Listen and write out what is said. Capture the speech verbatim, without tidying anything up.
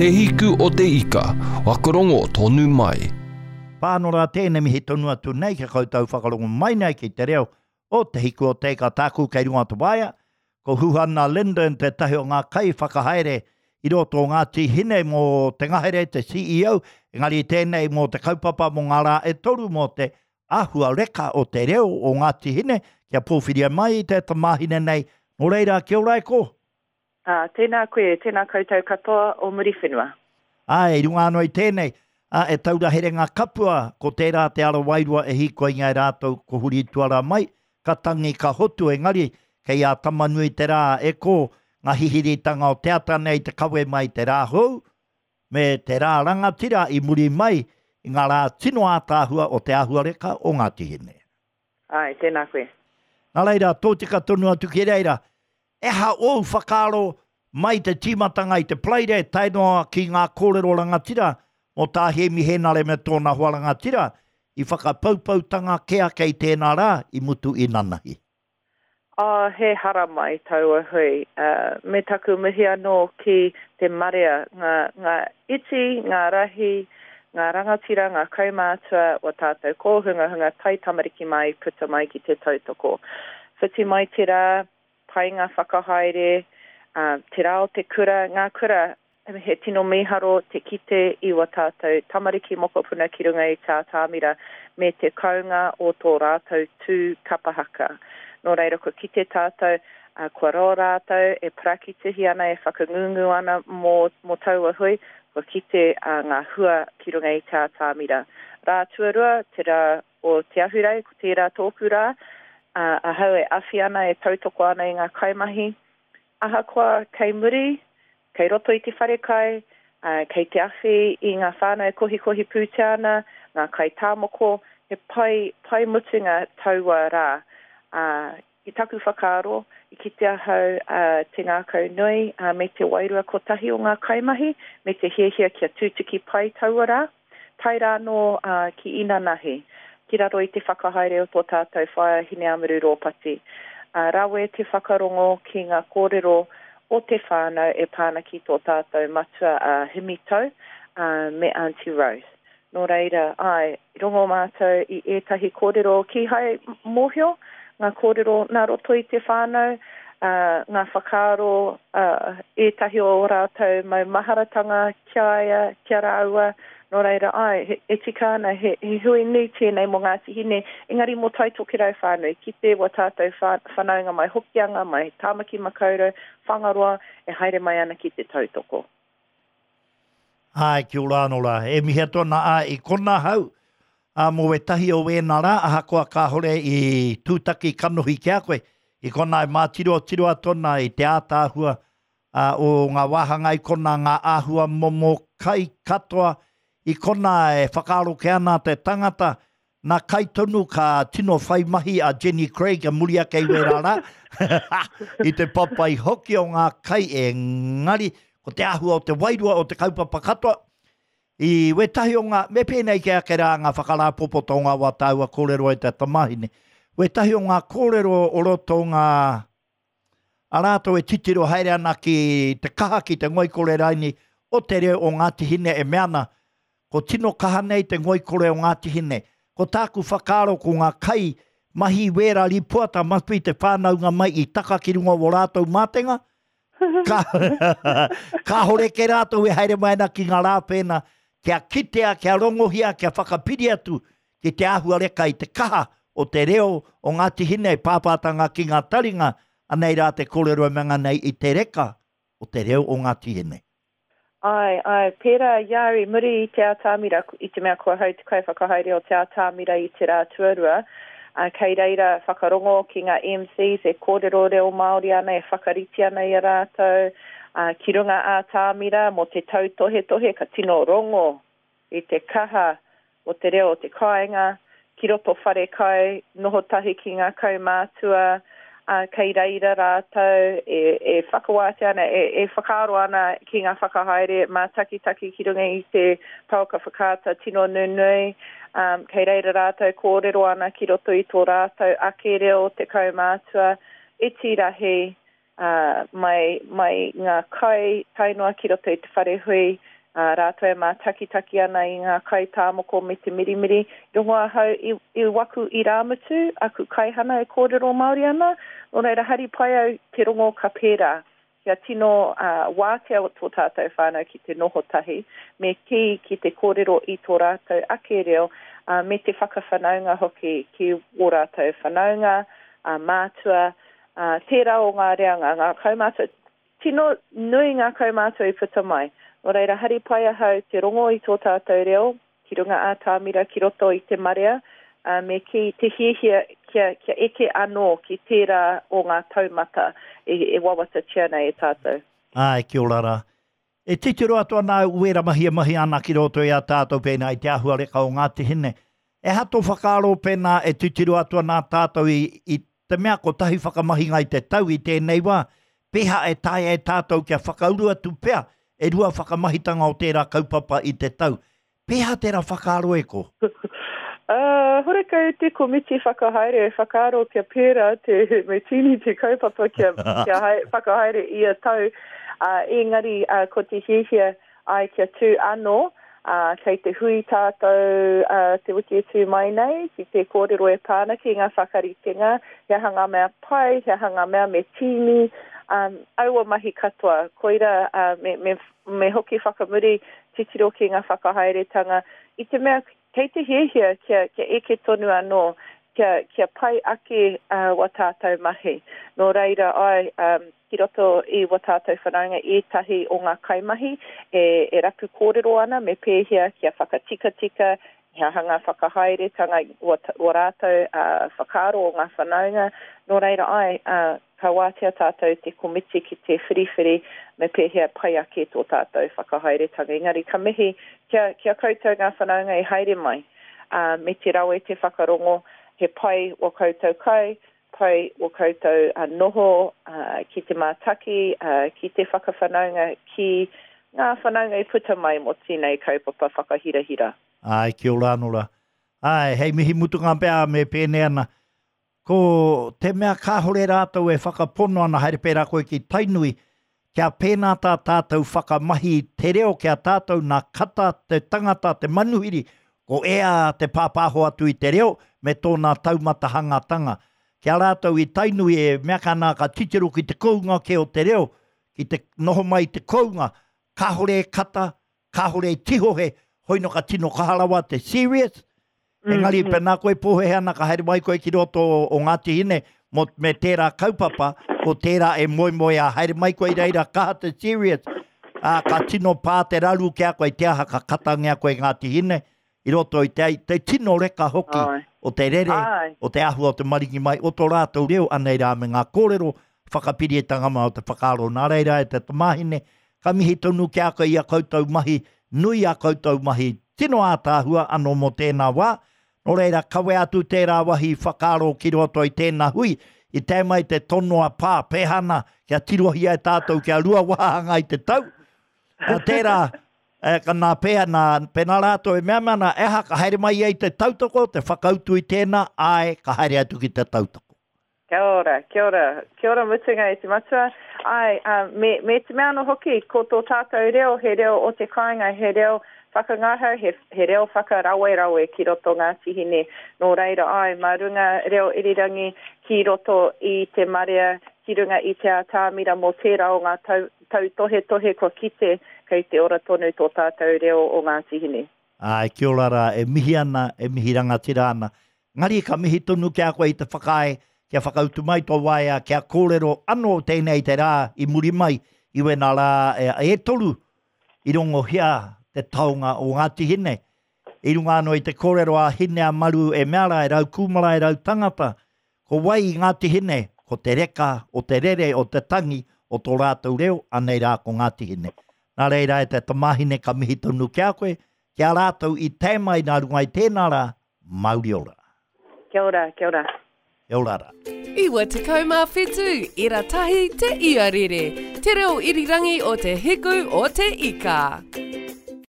Te hiku o te ika, whakarongo tonu mai. Pānora tēnei mihi tonu atu nei kia koutou whakarongo mai nei ki te reo o Te Hiku o Te Ika tāku kei runga o te waea. Ko Huhana Lyndon tētahi o ngā kai whakahaere i roto o Ngāti Hine mō te ngahere, te C E O, engari tēnei mō te kaupapa mō ngā rā e toru mō te āhua reka o te reo o Ngāti Hine, kia pōwhiria mai te tamāhine nei. Nō reira, kia ora e ko? Uh, tēnā koe, tēnā koutou katoa o Muriwhenua. Ai, i runga anō i tēnei, a, e taura here ngā kapua, ko tērā te ara wairua e hīkoi ngai rātou ko huri tuara mai, ka tangi ka hotu engari, kei a Tamanui te rā e ko ngā hihiritanga o te ata nei te kawe mai te rā hou, me te rā rangatira i muri mai i ngā rā tino ātaahua o te āhuareka o Ngāti Hine. Ai, tēnā koe. Nā reira, tōtika tonu atu ki reira, eha ōu whakaaro mai te tīmatanga i te Paraire, tae noa ki ngā kōrero rangatira mō tā Hēmi Hēnare me tōna hoa rangatira i whakapaupautanga ke ake i tēnā rā i mutu i nanahi. Oh, he hara mai taua hui. Uh, me taku mihi anō ki te marea, ngā, ngā iti, ngā rahi, ngā rangatira, ngā kaumātua o tātou kōhungahunga tai tamariki mai puta mai ki te tautoko. Whiti mai te rā, pai ngā whakahaere, uh, te rā o te kura, ngā kura, he tino mīharo te kite i wa tātou tamariki mokopuna ki runga i tā tāmira me te kaunga o tō rātou tū kapahaka. Nō reira, kua kite tātou, uh, kua roa rātou e parakitihi ana, e whakangungu ana mō, mō taua hui, kua kite uh, ngā hua ki runga i tā tāmira. Rā tuarua, te rā o Te Ahurei, ko tērā tōku rā, uh, ahau e awhi ana, e tautoko ana i ngā kaimahi. Ahakoa kei muri, kei roto i te wharekai, uh, kei te awhi i ngā whānau e kohikohi pūtea ana, ngā kai tāmoko, he pai, pai mutunga taua rā. Uh, i taku whakaaro, i kite ahau uh, te ngākau nui uh, me te wairua kotahi o ngā kaimahi, me te hiahia kia tūtuki pai taua rā, tae rā nō uh, ki inanahi, ki raro i te whakahaere o tō tātou whaea Hineamuru Rōpati. Uh, rawe te whakarongo ki ngā kōrero o te whānau e pāna ki tō tātou matua uh, Himi Tau uh, me Auntie Rose. Nō reira, ai, rongo mātou i ētahi kōrero kīhai mōhio, ngā kōrero nā roto i te whānau, uh, ngā whakaaro, uh, ētahi o rātou mau maharatanga kia ia, kia rāua. Nō reira, ai, he, e tika ana, he, he hui nui tēnei mō Ngāti Hine, engari mō Tai Tokerau whānui, ki te wa tātou whanaunga mai Hokianga, mai Tāmaki Makaurau, Whangaroa, e haere mai ana ki te tautoko. Ai, kia ora anō rā. E mihi atu ana a i kona hau, a mō wetahi o wēnā rā, ahakoa kāhore i tūtaki kanohi ki a koe, i kona e mātiro tiro atu ana i te ātaahua, a, o ngā wāhanga i kona ngā āhua momo kai katoa, i kona e whakaaro ke ana te tangata, nā kai tonu ka tino whai mahi a Jenny Craig a muri ake i wērā rā, i te papai hoki o ngā kai engari, ko te āhua o te wairua o te kaupapa katoa, i wetahi o ngā, me pēnei ke ake rā ngā whakarāpopoto o ngā wā tāua kōrero e te tamahine, wetahi o ngā kōrero o roto ngā, a rātou e titiro haere ana ki te kaha ki te ngoikore raini o te reo o Ngāti Hine e mea ana, ko tino kaha nei te ngoikore o Ngāti Hine. Ko tāku whakaaro ko ngā kai mahi wērā ripoata must be te whānaunga mai i taka ki runga o rātou mātenga, ka, kāhore ke rātou e haere mai ana ki ngā rā pēnā, kia kitea, kia rongohia, kia whakapiri atu ki te āhuareka i te kaha o te reo o Ngāti Hine, pāpātanga ki ngā taringa, anei rā te kōrero e manga nei i te reka o te reo o Ngāti Hine. Ai, ai, pērā i au i muri i te atamira, i te mea kua hau te kaiwhakahaere o te atamira i te rā tuarua, uh, kei reira whakarongo ki ngā M Cs e kōrero reo Māori ana, e whakarite ana i a rātou, uh, ki runga atamira mō te tautohetohe, ka tino rongo i te kaha o te reo o te kāinga, ki roto whare kai, noho tahi ki ngā kaumātua, uh, kei reira rātou e, e whakawātea ana, e, e whakaaro ana ki ngā whakahaere mātakitaki ki runga i te pouaka whakaata tino nunui, um, kei reira rātou kōrero ana ki roto i tō rātou ake reo te kaumātua, iti rahi, uh, mai, mai ngā kai tae noa ki roto i te whare hui, uh, rātou e mātakitaki ana i ngā kai tāmoko me te mirimiri. Rongo ahau i, i waku irāmutu, aku kaihana e kōrero Māori ana, nō reira hari pai au te rongo ka pērā. Kia tino uh, wātea o tō tātou whānau ki te noho tahi, me kī ki te kōrero i tō rātou ake reo, uh, me te whakawhanaunga hoki ki o rātou whanaunga, uh, mātua, uh, tērā o ngā reanga, ngā kaumātua. Tino nui ngā kaumātua i puta mai. Nō reira, hari pai ahau te rongo i tō tātou reo, ki runga ātamira, ki roto i te marea, uh, me ki te hiahia kia, kia eke anō ki tērā o ngā taumata e, e wawatatia nei e tātou. Ai, kia ora rā. E titiro atu ana au wera mahi e mahi ana ki roto i a tātou pēnā i te āhuareka o Ngāti Hine. E ha tō whakaaro pēnā e titiro atu ana tātou i, i te mea kotahi whakamahinga i te tau i tēnei wā, pēhea e taea e tātou kia whakauru atu pea e rua whakamahitanga o tērā kaupapa i te tau. Pēhea tērā whakaaro e ko? Uh, horekau te komiti whakahaere e whakaaro kia pērā te, me tīni te kaupapa kia, kia hai, whakahaere ia tau. Uh, engari uh, ko te hiahia ai kia tū anō, uh, kei te hui tātou uh, te wiki e tū mai nei, ki te kōrero e pāna ki ngā whakaritenga, he aha ngā mea pai, he aha ngā mea me tīni, um, aua mahi katoa. Koira uh, me, me, me hoki whakamuri titiro ki ngā whakahaeretanga. I te mea kei te hiahia kia, kia eke tonu anō, kia, kia pai ake uh, wa tātou mahi. Nō reira ai, um, ki roto i wa tātou whanaunga ētahi o ngā kaimahi e, e rapu kōrero ana me pēhea kia whakatikatika, he aha ngā whakahaeretanga o, o rātou uh, whakaaro o ngā whanaunga. Nō reira ai, uh, ka wātea tātou te komiti ki te whiriwhiri me pēhea pai ake tō tātou whakahaeretanga. Engari ka mihi kia, kia koutou ngā whanaunga i haere mai, uh, me te rawe te whakarongo, he pai o koutou kai, pai o koutou uh, noho uh, ki te mātaki, uh, ki te whakawhanaunga, ki ngā whanaunga i puta mai mō tēnei kaupapa whakahirahira. Ai, kia ora anō rā. Ai, hei mihi mutunga pea me pēnei ana. Ko te mea kāhore rātou e whakapono ana haere pērā koe ki Tainui, kia pēnā tā tātou whakamahi te reo, kia tātou nā kata te tangata, te manuhiri, ko ea te pāpāho atu i te reo me tōna taumata hangatanga. Kia rātou i Tainui e mea kana ka titiro ki te kounga ke o te reo, ki te noho mai te kounga, kāhore e kata, kāhore e tihohe, hoino ka tino kaharawa te serious. Engari, mm -hmm. pēnā koe pōhehe ana ka haere mai koe ki roto o, o Ngāti Hine mo, me tērā kaupapa, ko tērā e moemoe a haere mai koe i reira kaha te serious, a, ka tino pā te raru kia koe te aha ka katangia koe Ngāti Hine i roto i te, te tino reka hoki. Ai. O te rere, Ai. O te ahua o te maringi mai, o tō rātou reo, anei rā me ngā kōrero, whakapirietanga mai o te whakaaro. Nā reira e te tamāhine, ka mihi tonu kia koe i a koutou mahi, nui a koutou mahi, tino ātaahua anō mō tēnā wā. Nō reira, kawe atu tērā wahi whakaaro ki roto i tēnā hui, i te mai te tonoa pā, pēhana, kia tirohia e tātou, kia rua wāhanga i te tau. A tērā, e, ka nā pēha, nā, pēnā rātou e mea mana, eha, ka haere mai ai te tautoko, te whakautu i tēnā, ai, ka haere atu ki te tautoko. Kia ora, kia ora, kia ora mutunga e te matua. Ai, um, me, me te mea anō hoki, ko tō tātou reo, he reo o te kāinga, he reo whakangahau, he, he reo whakarawerawe ki roto Ngāti Hine. Nō reira ai, mā runga reo irirangi ki roto i te marea, ki runga i te ātamira mō tērā o ngā tau, tautohetohe kua kite kei te ora tonu tō tātou reo o Ngāti Hine. Ai, kia ora rā, e mihi ana, e mihi rangatira ana. Ngari ka mihi tonu kia koe i te whakaae, kia whakautu mai tō waea, kia kōrero anō tēnei te rā i muri mai, i wena rā e, e toru i rongohia te taonga o Ngāti Hine. I runga anō i te kōrero a Hine a Maru e mea rā, e rau kūmara, e rau tangata. Ko wai i Ngāti Hine, ko te reka, o te rere, o te tangi, o tō rātou reo, anei rā ko Ngāti Hine. Nā reira e te tamāhine ka mihi tonu kia koe, kia rātou i te mai nā runga i tēnā rā, mauri ora. Kia ora, kia ora. Kia ora rā. Iwa tekau mā whitu, ira tahi te iarere. Te reo irirangi o te hiku o te ika.